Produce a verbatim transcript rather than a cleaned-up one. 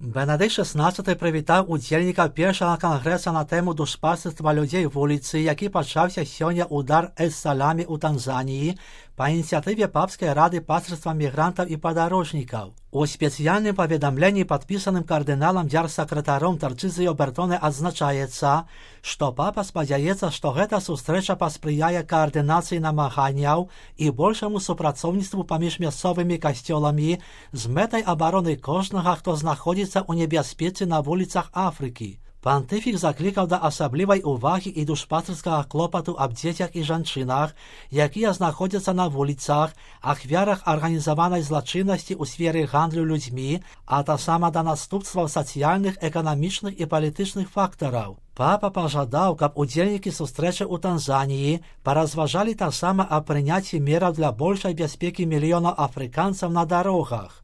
Бенедикт шістнадцятий привітав удзельнікаў першага кангрэса на тэму душпастырства людзей вуліцы, які пачаўся сёння ў Дар-эс-Саламе ў Танзаніі па ініцыятыве Папскай рады пастырства мігрантаў і падарожнікаў. У спецыяльным паведамленні, падпісаным кардыналам дзяржсакратаром Тарчызіо Бертоне, адзначаецца, што папа спадзяецца, што гэта сустрэча паспрыяе каардынацыі намаганняў і большаму супрацоўніцтву паміж мясцовымі касцёламі з мэтай абароны кожнага, хто знаходзіцца ў небяспецы на вуліцах Афрыкі. Пантыфік заклікаў да асаблівай увагі і душпастырскага клопату аб дзецях і жанчынах, якія знаходзяцца на вуліцах, ахвярах арганізаванай злачыннасці ў сферы гандлю людзьмі, а таксама да наступстваў сацыяльных, эканамічных і палітычных фактараў. Папа пажадаў, каб удзельнікі сустрэчы ў Танзаніі паразважалі таксама аб прыняцці мераў для большай бяспекі мільёнаў афрыканцаў на дарогах.